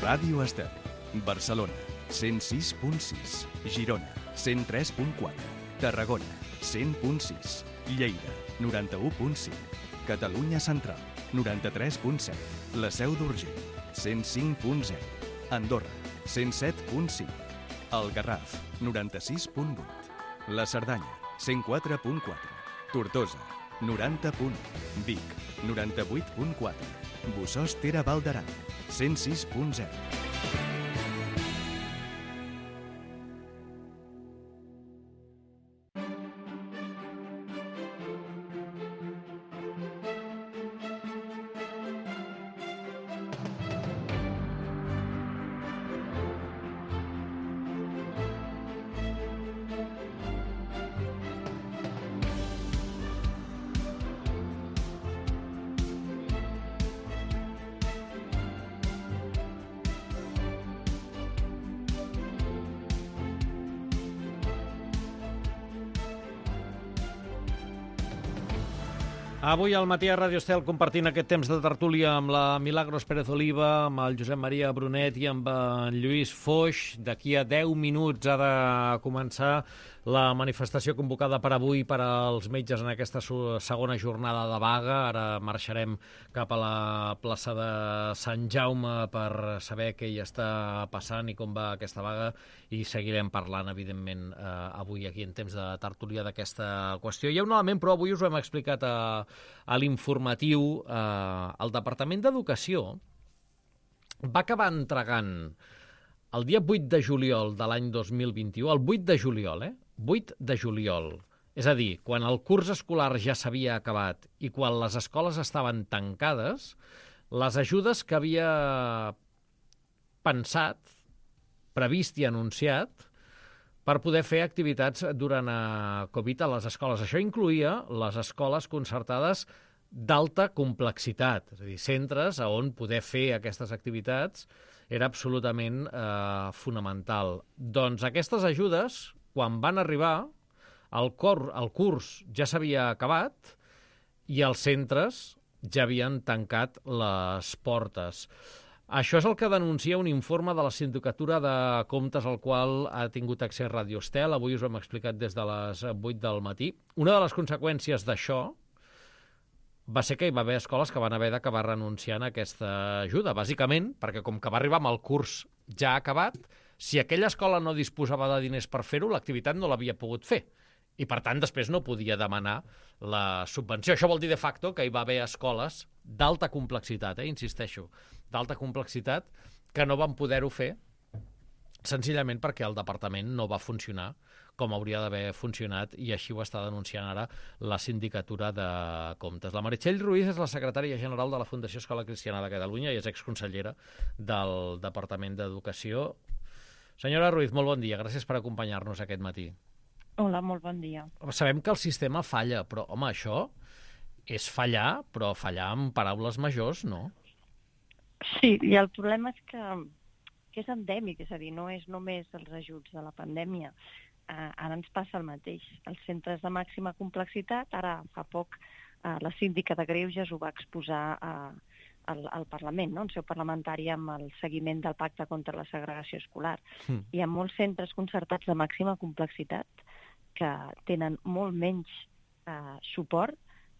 Ràdio Estel. Barcelona, 106.6. Girona, 103.4. Tarragona, 100.6. Lleida, 91.5. Catalunya Central, 93.7. La Seu d'Urgell, 105.0. Andorra, 107.5. El Garraf, 96.8. La Cerdanya, 104.4. Tortosa, 90.1. Vic, 98.4. Bossòst Tere Val d'Aran, 106.0. Avui al matí a Ràdio Estel compartint aquest temps de tertúlia amb la Milagros Pérez Oliva, amb el Josep Maria Brunet i amb en Lluís Foix. D'aquí a 10 minuts ha de començar la manifestació convocada per avui per als metges en aquesta segona jornada de vaga. Ara marxarem cap a la plaça de Sant Jaume per saber què hi està passant i com va aquesta vaga i seguirem parlant, evidentment, avui aquí en temps de tertúlia d'aquesta qüestió. Hi ha un element, però avui us ho hem explicat a l'informatiu. El Departament d'Educació va acabar entregant el dia 8 de juliol de l'any 2021, el 8 de juliol, 8 de juliol, és a dir, quan el curs escolar ja s'havia acabat i quan les escoles estaven tancades, les ajudes que havia pensat, previst i anunciat per poder fer activitats durant Covid a les escoles. Això incloïa les escoles concertades d'alta complexitat, és a dir, centres on poder fer aquestes activitats era absolutament fonamental. Doncs aquestes ajudes, quan van arribar, el curs ja s'havia acabat i els centres ja havien tancat les portes. Això és el que denuncia un informe de la Sindicatura de Comptes al qual ha tingut accés Ràdio Estel. Avui us ho hem explicat des de les 8 del matí. Una de les conseqüències d'això va ser que hi va haver escoles que van haver d'acabar renunciant a aquesta ajuda, bàsicament perquè com que va arribar amb el curs ja acabat, si aquella escola no disposava de diners per fer-ho, l'activitat no l'havia pogut fer. I, per tant, després no podia demanar la subvenció. Això vol dir, de facto, que hi va haver escoles d'alta complexitat, insisteixo, d'alta complexitat, que no van poder-ho fer senzillament perquè el departament no va funcionar com hauria d'haver funcionat i així ho està denunciant ara la Sindicatura de Comptes. La Meritxell Ruiz és la secretària general de la Fundació Escola Cristiana de Catalunya i és exconsellera del Departament d'Educació. Senyora Ruiz, molt bon dia. Gràcies per acompanyar-nos aquest matí. Hola, molt bon dia. Sabem que el sistema falla, però, home, això és fallar, però fallar amb paraules majors, no? Sí, i el problema és que és endèmic, és a dir, no és només els ajuts de la pandèmia. Ara ens passa el mateix. Els centres de màxima complexitat, ara fa poc la síndica de Greuges ho va exposar al Parlament, no? En seu parlamentària amb el seguiment del Pacte contra la Segregació Escolar. Hi ha molts centres concertats de màxima complexitat que tenen molt menys suport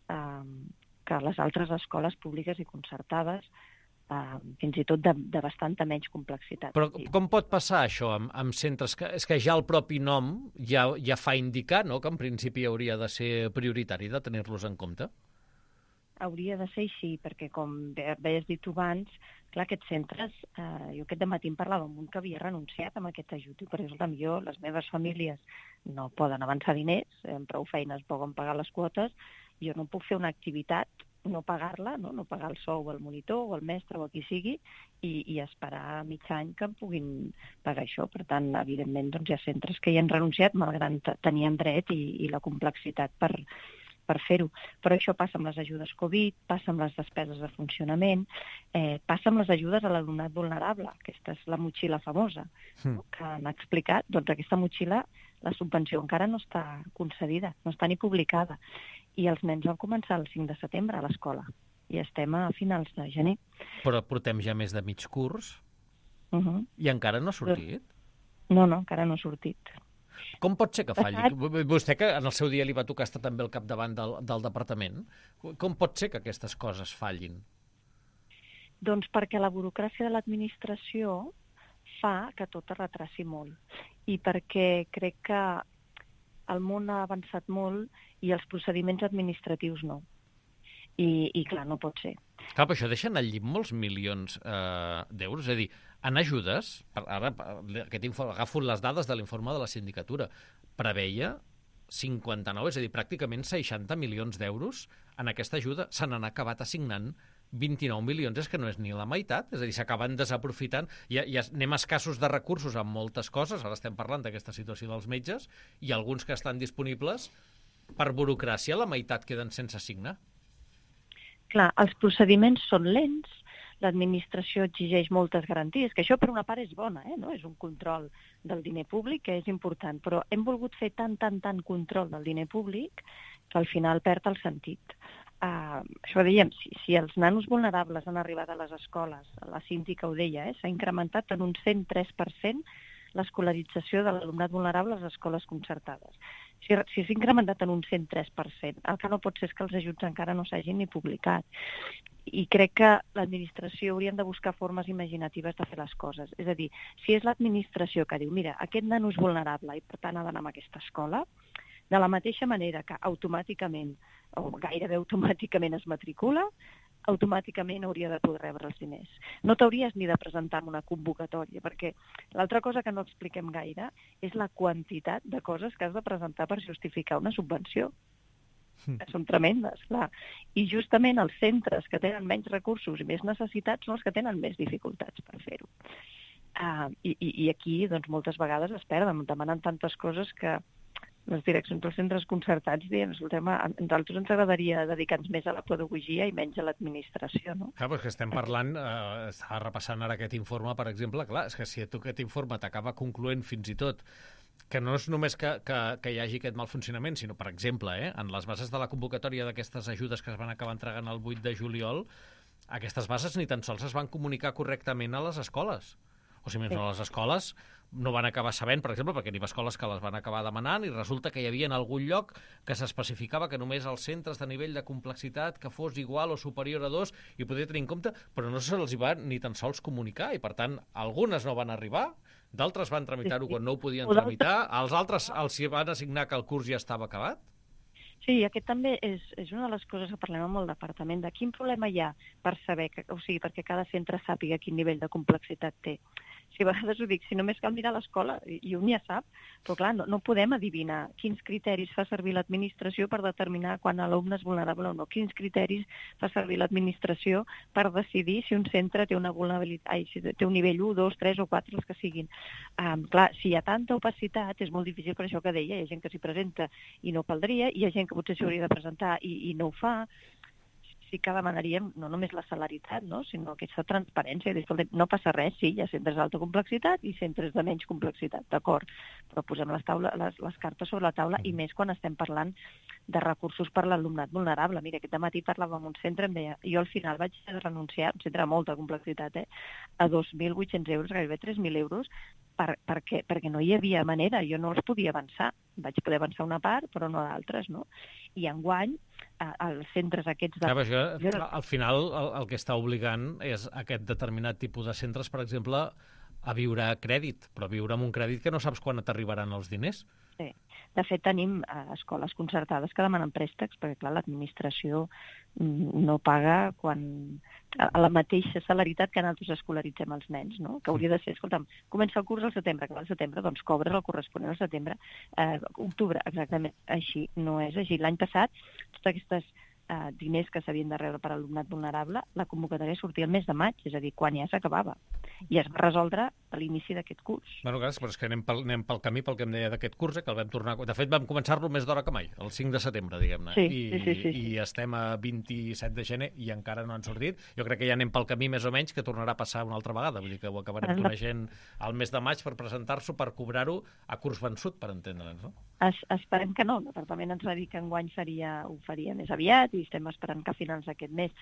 que les altres escoles públiques i concertades, fins i tot de bastanta menys complexitat. Però com pot passar això amb centres? És que ja el propi nom ja fa indicar, no?, que en principi hauria de ser prioritari de tenir-los en compte? Hauria de ser així, perquè com bé has dit tu abans, clar, aquests centres, jo aquest dematí em parlava amb un que havia renunciat a aquest ajut, i per exemple, les meves famílies no poden avançar diners, amb prou feines poden pagar les quotes, jo no puc fer una activitat, no pagar-la, no pagar el sou al monitor o al mestre o a qui sigui, i esperar mig any que em puguin pagar això. Per tant, evidentment, doncs, hi ha centres que hi han renunciat, malgrat tenien dret i la complexitat per fer-ho. Però això passa amb les ajudes Covid, passa amb les despeses de funcionament, passa amb les ajudes a l'alumnat vulnerable. Aquesta és la motxilla famosa, que han explicat. Doncs aquesta motxilla, la subvenció encara no està concedida, no està ni publicada. I els nens van començar el 5 de setembre a l'escola i estem a finals de gener. Però portem ja més de mig curs? I encara no ha sortit? No, encara no ha sortit. Com pot ser que falli? Vostè, que en el seu dia li va tocar estar també al capdavant del departament, com pot ser que aquestes coses fallin? Doncs perquè la burocràcia de l'administració fa que tot es retraci molt. I perquè crec que el món ha avançat molt i els procediments administratius no. I clar, no pot ser. Clar, però això deixa anar al llit molts milions d'euros. És a dir, en ajudes, ara agafo les dades de l'informe de la sindicatura, preveia 59, és a dir, pràcticament 60 milions d'euros en aquesta ajuda. Se n'han acabat assignant 29 milions, és que no és ni la meitat, és a dir, s'acaben desaprofitant. Ja anem escassos de recursos en moltes coses, ara estem parlant d'aquesta situació dels metges, i alguns que estan disponibles, per burocràcia, la meitat queden sense assignar. Clar, els procediments són lents, l'administració exigeix moltes garanties, que això per una part és bona, no? És un control del diner públic que és important, però hem volgut fer tant control del diner públic que al final perd el sentit. Això dèiem, si els nanos vulnerables han arribat a les escoles, la síndica ho deia, s'ha incrementat en un 103% l'escolarització de l'alumnat vulnerable a les escoles concertades. Si s'ha incrementat en un 103%, el que no pot ser és que els ajuts encara no s'hagin ni publicat. I crec que l'administració haurien de buscar formes imaginatives de fer les coses. És a dir, si és l'administració que diu, mira, aquest nano és vulnerable i per tant ha d'anar a aquesta escola, de la mateixa manera que automàticament, o gairebé automàticament es matricula, automàticament hauria de poder rebre els diners. No t'hauries ni de presentar una convocatòria, perquè l'altra cosa que no expliquem gaire és la quantitat de coses que has de presentar per justificar una subvenció. Són tremendes, clar. I justament els centres que tenen menys recursos i més necessitats són els que tenen més dificultats per fer-ho. I aquí, doncs, moltes vegades es perden, demanen tantes coses que les direccions dels centres concertats diuen, escoltem, a nosaltres ens agradaria dedicar-nos més a la pedagogia i menys a l'administració, no? Clar, perquè estem parlant, estava repassant ara aquest informe, per exemple, clar, és que si tu aquest informe t'acaba concloent fins i tot que no és només que hi hagi aquest mal funcionament, sinó, per exemple, en les bases de la convocatòria d'aquestes ajudes que es van acabar entregant el 8 de juliol, aquestes bases ni tan sols es van comunicar correctament a les escoles. O sigui, a les escoles no van acabar sabent, per exemple, perquè n'hi ha escoles que les van acabar demanant i resulta que hi havia en algun lloc que s'especificava que només els centres de nivell de complexitat que fos igual o superior a 2 i podia tenir en compte, però no se'ls va ni tan sols comunicar i, per tant, algunes no van arribar, d'altres van tramitar-ho quan no ho podien tramitar, als altres els van assignar que el curs ja estava acabat. Sí, aquest també és una de les coses que parlem amb el departament, de quin problema hi ha per saber, o sigui, perquè cada centre sàpiga quin nivell de complexitat té. Si a vegades ho dic, si només cal mirar l'escola, i un ja sap, però clar, no podem adivinar quins criteris fa servir l'administració per determinar quan l'alumne és vulnerable o no, quins criteris fa servir l'administració per decidir si un centre té una vulnerabilitat, si té un nivell 1, 2, 3 o 4, els que siguin. Clar, si hi ha tanta opacitat, és molt difícil per això que deia, hi ha gent que s'hi presenta i no caldria, hi ha gent que potser s'hi hauria de presentar i no ho fa. Sí que demanaríem no només la celeritat, no? Sinó aquesta transparència. No passa res, sí, hi ha centres d'alta complexitat i centres de menys complexitat, d'acord, però posem les cartes sobre la taula i més quan estem parlant de recursos per l'alumnat vulnerable. Mira, aquest matí parlava amb un centre, em deia, jo al final vaig renunciar, un centre de molta complexitat, a 2.800 euros, gairebé 3.000 euros, perquè no hi havia manera, jo no els podia avançar. Vaig poder avançar una part, però no d'altres, no? I enguany, els centres aquests... Al final el que està obligant és aquest determinat tipus de centres, per exemple, a viure a crèdit, però viure amb un crèdit que no saps quan t'arribaran els diners. Sí. De fet, tenim escoles concertades que demanen préstecs, perquè, clar, l'administració no paga a la mateixa celeritat que nosaltres escolaritzem els nens, no? Que hauria de ser, escolta'm, comença el curs al setembre, que al setembre, doncs cobres el corresponent al setembre, octubre, exactament, així, no és així. L'any passat, totes aquestes diners que s'havien de rebre per alumnat vulnerable, la convocatòria sortia el mes de maig, és a dir, quan ja s'acabava. I es va resoldre a l'inici d'aquest curs. Bueno, clar, però és que anem pel camí, pel que em deia d'aquest curs, que el vam tornar... De fet, vam començar-lo més d'hora que mai, el 5 de setembre, diguem-ne. Sí. I estem a 27 de gener i encara no han sortit. Jo crec que ja anem pel camí més o menys que tornarà a passar una altra vegada. Vull dir que ho acabarem coneixent al mes de maig per presentar-s'ho, per cobrar-ho a curs vençut, per entendre'ns, no? Esperem que no. El departament ens va dir que enguany ho faria més aviat i estem esperant que a finals d'aquest mes.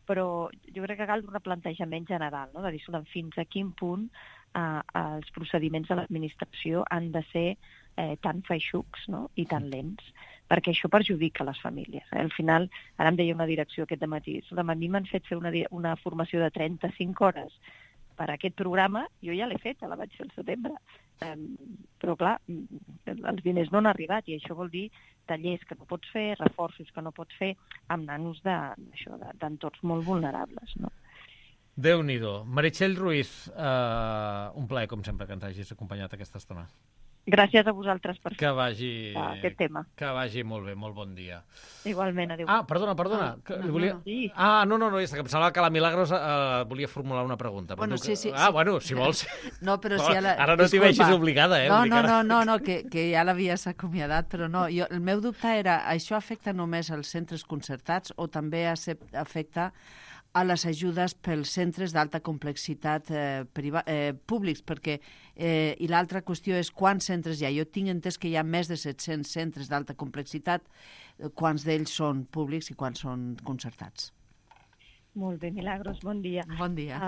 però jo crec que cal un replantejament general, no? De dir, fins a quin punt els procediments de l'administració han de ser tan feixucs, no? I tan lents, perquè això perjudica les famílies. Al final, ara em deia una direcció aquest dematí, a mi m'han fet fer una formació de 35 hores per aquest programa, jo ja l'he fet, la vaig fer al setembre. Però, clar, els diners no han arribat i això vol dir tallers que no pots fer, reforços que no pots fer amb nanos d'entorns molt vulnerables, no? Déu-n'hi-do. Meritxell Ruiz, un plaer, com sempre, que ens hagis acompanyat aquesta estona. Gràcies a vosaltres per aquest tema. Que vagi molt bé, molt bon dia. Igualment, adéu. Perdona. Sí. No, és que em semblava que la Milagros volia formular una pregunta. Bueno, sí. Bueno, si vols. No, però si ara no t'hi vegis obligada, No, que ja l'havies acomiadat, però no. El meu dubte era, això afecta només als centres concertats o també afecta a les ajudes pels centres d'alta complexitat públics, perquè i l'altra qüestió és quants centres hi ha. Jo tinc entès que hi ha més de 700 centres d'alta complexitat, quants d'ells són públics i quants són concertats. Molt bé, Milagros, bon dia. Bon dia.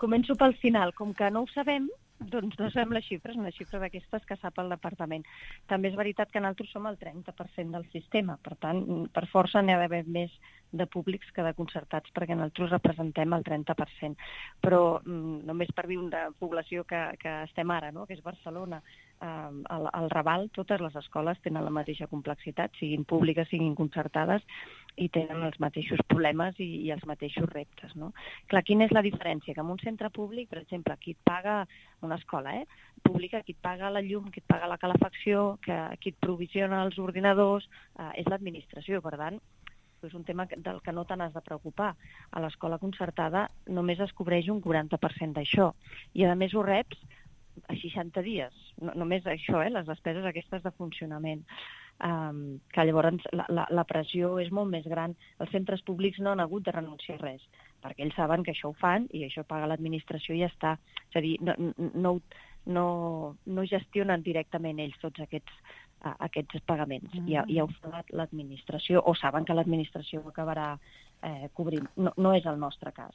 Començo pel final. Com que no ho sabem, doncs no sabem les xifres aquestes que sap el departament. També és veritat que nosaltres som el 30% del sistema, per tant, per força n'hi ha d'haver més de públics que de concertats, perquè nosaltres representem el 30%. Però només per dir una població que estem ara, no? Que és Barcelona, al Raval, totes les escoles tenen la mateixa complexitat, siguin públiques, siguin concertades, i tenen els mateixos problemes i els mateixos reptes, no? Clar, quina és la diferència? Que en un centre públic, per exemple, qui et paga una escola pública, qui et paga la llum, qui et paga la calefacció, qui et provisiona els ordinadors, és l'administració. Per tant, és un tema del que no te n'has de preocupar. A l'escola concertada només es cobreix un 40% d'això. I a més ho reps a 60 dies. Només això, les despeses aquestes de funcionament. Que llavors la pressió és molt més gran. Els centres públics no han hagut de renunciar a res, perquè ells saben que això ho fan i això paga l'administració i ja està. És a dir, no gestionen directament ells tots aquests pagaments. Ja ho fa l'administració, o saben que l'administració ho acabarà cobrint. No és el nostre cas.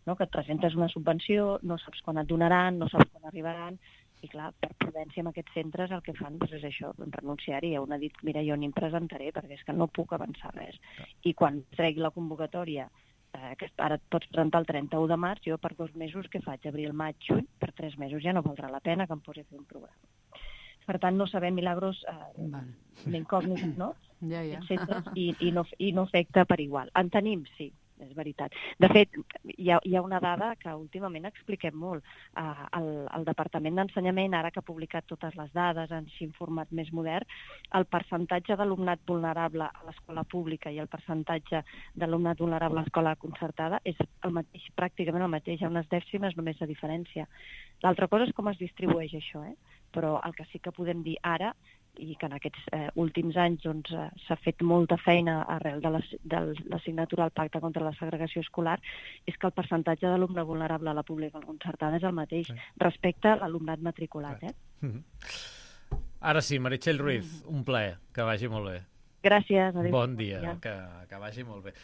No? Que et presentes una subvenció, no saps quan et donaran, no saps quan arribaran, i clar, per prudència amb aquests centres el que fan és això, renunciar-hi. Un ha dit, mira, jo ni em presentaré perquè és que no puc avançar res. I quan tregui la convocatòria, que ara et pots presentar el 31 de març, jo per 2 mesos què faig? Abril, maig, juny, per 3 mesos ja no valdrà la pena que em posi a fer un programa. Per tant, no sabem, Milagros, l'incògnit, no? Ja. Centres, i no afecta per igual. En tenim, sí, és veritat. De fet, hi ha una dada que últimament expliquem molt. El Departament d'Ensenyament, ara que ha publicat totes les dades en així format més modern, el percentatge d'alumnat vulnerable a l'escola pública i el percentatge d'alumnat vulnerable a l'escola concertada és el mateix, pràcticament el mateix, hi ha unes dècimes només de diferència. L'altra cosa és com es distribueix això, però el que sí que podem dir ara, i que en aquests últims anys s'ha fet molta feina arrel de l'assignatura al Pacte contra la Segregació Escolar, és que el percentatge d'alumne vulnerable a la pública o concertada és el mateix respecte a l'alumnat matriculat. Ara sí, Meritxell Ruiz, un plaer, que vagi molt bé. Gràcies. Adéu. Bon dia, que vagi molt bé.